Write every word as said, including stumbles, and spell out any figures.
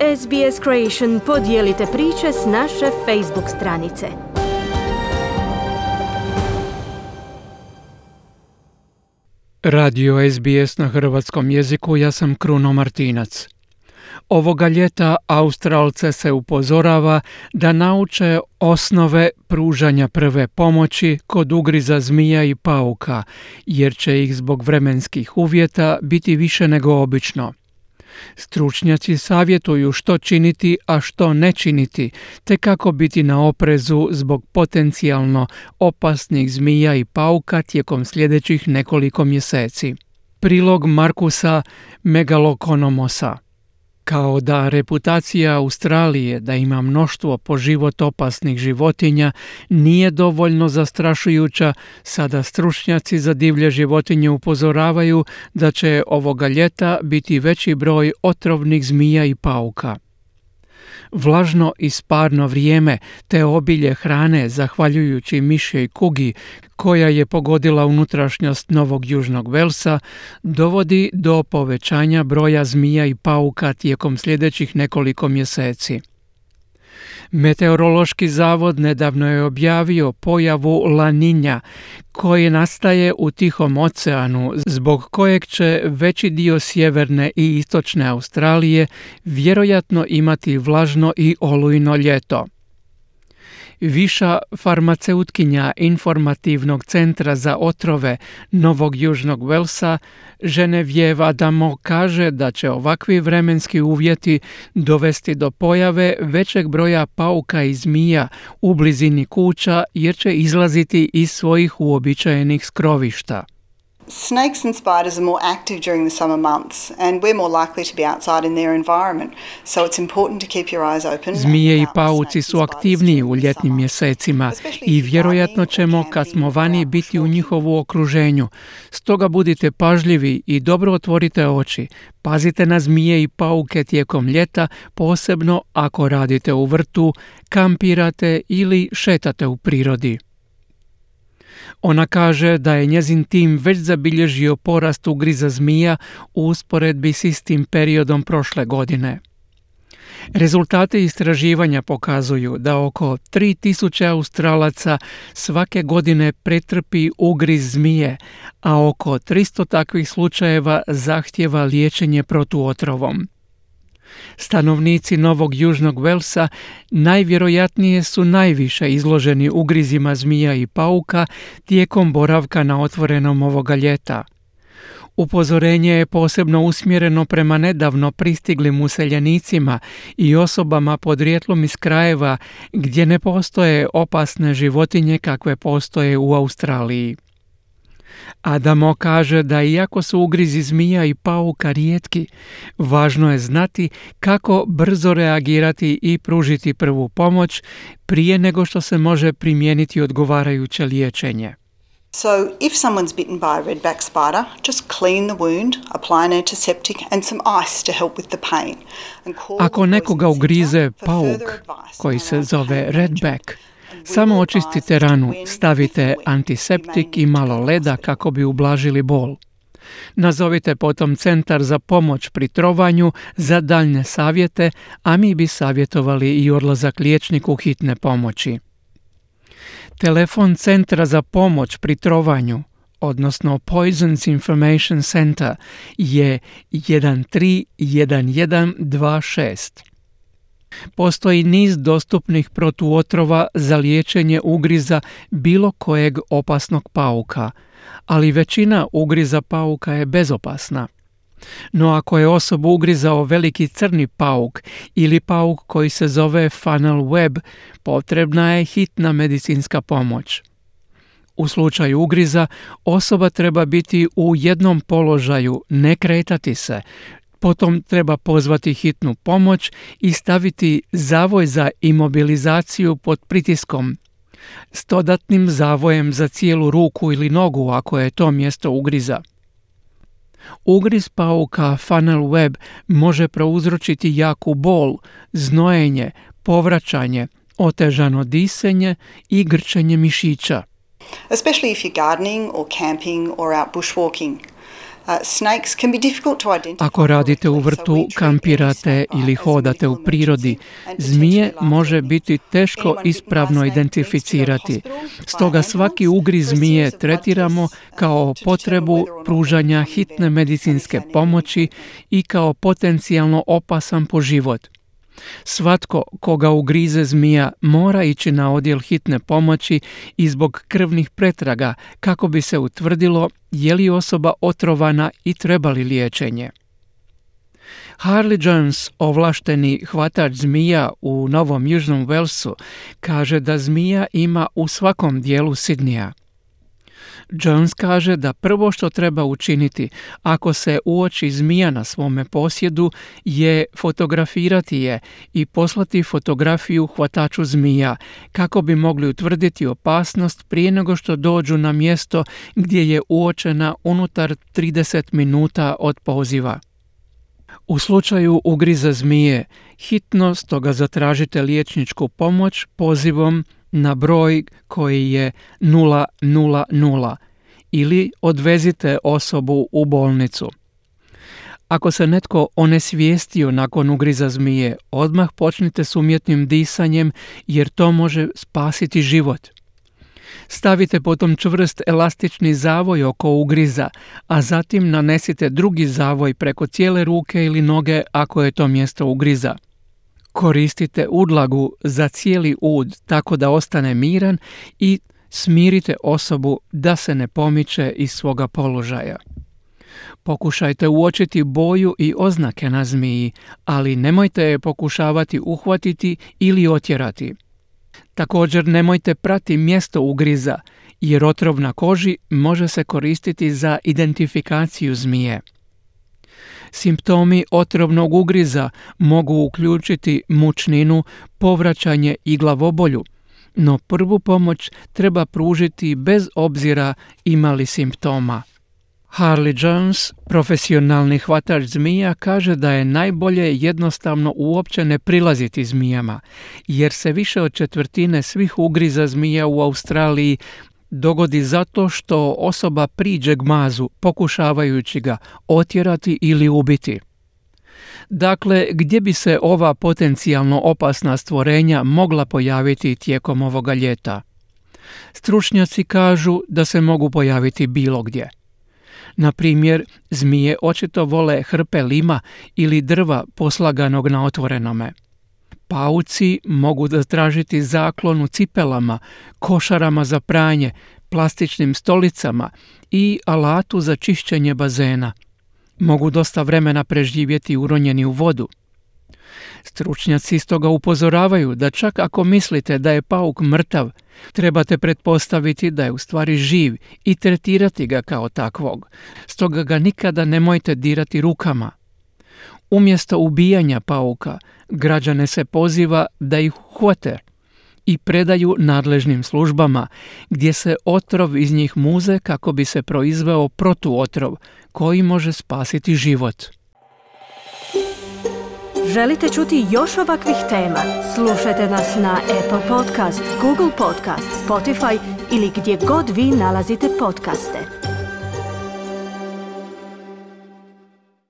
S B S Creation podijelite priče s naše Facebook stranice. Radio S B S na hrvatskom jeziku, ja sam Kruno Martinac. Ovoga ljeta Australce se upozorava da nauče osnove pružanja prve pomoći kod ugriza zmija i pauka, jer će ih zbog vremenskih uvjeta biti više nego obično. Stručnjaci savjetuju što činiti, a što ne činiti, te kako biti na oprezu zbog potencijalno opasnih zmija i pauka tijekom sljedećih nekoliko mjeseci. Prilog Markusa Megalokonomosa. Kao da reputacija Australije da ima mnoštvo po život opasnih životinja nije dovoljno zastrašujuća, sada stručnjaci za divlje životinje upozoravaju da će ovoga ljeta biti veći broj otrovnih zmija i pauka. Vlažno i sparno vrijeme te obilje hrane zahvaljujući mišjoj kugi koja je pogodila unutrašnjost Novog Južnog Velsa dovodi do povećanja broja zmija i pauka tijekom sljedećih nekoliko mjeseci. Meteorološki zavod nedavno je objavio pojavu La Niña koji nastaje u Tihom oceanu, zbog kojeg će veći dio sjeverne i istočne Australije vjerojatno imati vlažno i olujno ljeto. Viša farmaceutkinja Informativnog centra za otrove Novog Južnog Velsa, Genevieve Adamo, kaže da će ovakvi vremenski uvjeti dovesti do pojave većeg broja pauka i zmija u blizini kuća jer će izlaziti iz svojih uobičajenih skrovišta. Snakes and spiders are more active during the summer months and we're more likely to be outside in their environment. So it's important to keep your eyes open. Zmije i pauci su aktivniji u ljetnim mjesecima i vjerojatno ćemo kad smo vani biti u njihovu okruženju. Stoga budite pažljivi i dobro otvorite oči. Pazite na zmije i pauke tijekom ljeta, posebno ako radite u vrtu, kampirate ili šetate u prirodi. Ona kaže da je njezin tim već zabilježio porast ugriza zmija u usporedbi s istim periodom prošle godine. Rezultati istraživanja pokazuju da oko tri tisuće Australaca svake godine pretrpi ugriz zmije, a oko tristo takvih slučajeva zahtijeva liječenje protuotrovom. Stanovnici Novog Južnog Velsa najvjerojatnije su najviše izloženi ugrizima zmija i pauka tijekom boravka na otvorenom ovoga ljeta. Upozorenje je posebno usmjereno prema nedavno pristiglim useljenicima i osobama podrijetlom iz krajeva gdje ne postoje opasne životinje kakve postoje u Australiji. Adamo kaže da iako su ugrizi zmija i pauka rijetki, važno je znati kako brzo reagirati i pružiti prvu pomoć prije nego što se može primijeniti odgovarajuće liječenje. So if someone's bitten by a redback spider, just clean the wound, apply an antiseptic and some ice to help with the pain. Ako nekoga ugrize pauk koji se zove redback, samo očistite ranu, stavite antiseptik i malo leda kako bi ublažili bol. Nazovite potom centar za pomoć pri trovanju za daljnje savjete, a mi bi savjetovali i odlazak liječniku hitne pomoći. Telefon centra za pomoć pri trovanju, odnosno Poisons Information Center, je jedan tri jedan jedan dva šest. Postoji niz dostupnih protuotrova za liječenje ugriza bilo kojeg opasnog pauka, ali većina ugriza pauka je bezopasna. No ako je osobu ugrizao veliki crni pauk ili pauk koji se zove funnel web, potrebna je hitna medicinska pomoć. U slučaju ugriza osoba treba biti u jednom položaju, ne kretati se. Potom treba pozvati hitnu pomoć i staviti zavoj za imobilizaciju pod pritiskom s dodatnim zavojem za cijelu ruku ili nogu ako je to mjesto ugriza. Ugriz pauka funnel web može prouzročiti jaku bol, znojenje, povraćanje, otežano disanje i grčenje mišića. Especially if you're gardening or camping or out bushwalking. Uh, snakes can be difficult to identify. Ako radite u vrtu, kampirate ili hodate u prirodi, zmije može biti teško ispravno identificirati. Stoga svaki ugriz zmije tretiramo kao potrebu pružanja hitne medicinske pomoći i kao potencijalno opasan po život. Svatko koga ugrize zmija mora ići na odjel hitne pomoći i zbog krvnih pretraga kako bi se utvrdilo je li osoba otrovana i treba li liječenje. Harley Jones, ovlašteni hvatač zmija u Novom Južnom Walesu, kaže da zmija ima u svakom dijelu Sidneya. Jones kaže da prvo što treba učiniti ako se uoči zmija na svome posjedu je fotografirati je i poslati fotografiju hvataču zmija kako bi mogli utvrditi opasnost prije nego što dođu na mjesto gdje je uočena unutar trideset minuta od poziva. U slučaju ugriza zmije, hitno stoga zatražite liječničku pomoć pozivom na broj koji je nula nula nula ili odvezite osobu u bolnicu. Ako se netko onesvijestio nakon ugriza zmije, odmah počnite s umjetnim disanjem jer to može spasiti život. Stavite potom čvrst elastični zavoj oko ugriza, a zatim nanesite drugi zavoj preko cijele ruke ili noge ako je to mjesto ugriza. Koristite udlagu za cijeli ud tako da ostane miran i smirite osobu da se ne pomiče iz svoga položaja. Pokušajte uočiti boju i oznake na zmiji, ali nemojte je pokušavati uhvatiti ili otjerati. Također nemojte prati mjesto ugriza, jer otrov na koži može se koristiti za identifikaciju zmije. Simptomi otrovnog ugriza mogu uključiti mučninu, povraćanje i glavobolju, no prvu pomoć treba pružiti bez obzira ima li simptoma. Harley Jones, profesionalni hvatač zmija, kaže da je najbolje jednostavno uopće ne prilaziti zmijama, jer se više od četvrtine svih ugriza zmija u Australiji dogodi zato što osoba priđe gmazu pokušavajući ga otjerati ili ubiti. Dakle, gdje bi se ova potencijalno opasna stvorenja mogla pojaviti tijekom ovoga ljeta? Stručnjaci kažu da se mogu pojaviti bilo gdje. Na primjer, zmije očito vole hrpe lima ili drva poslaganog na otvorenome. Pauci mogu zatražiti zaklon u cipelama, košarama za pranje, plastičnim stolicama i alatu za čišćenje bazena. Mogu dosta vremena preživjeti uronjeni u vodu. Stručnjaci stoga upozoravaju da čak ako mislite da je pauk mrtav, trebate pretpostaviti da je u stvari živ i tretirati ga kao takvog. Stoga ga nikada nemojte dirati rukama. Umjesto ubijanja pauka, građane se poziva da ih uhvate i predaju nadležnim službama, gdje se otrov iz njih muze kako bi se proizveo protuotrov koji može spasiti život. Želite čuti još ovakvih tema? Slušajte nas na Apple Podcast, Google Podcast, Spotify ili gdje god vi nalazite podcaste.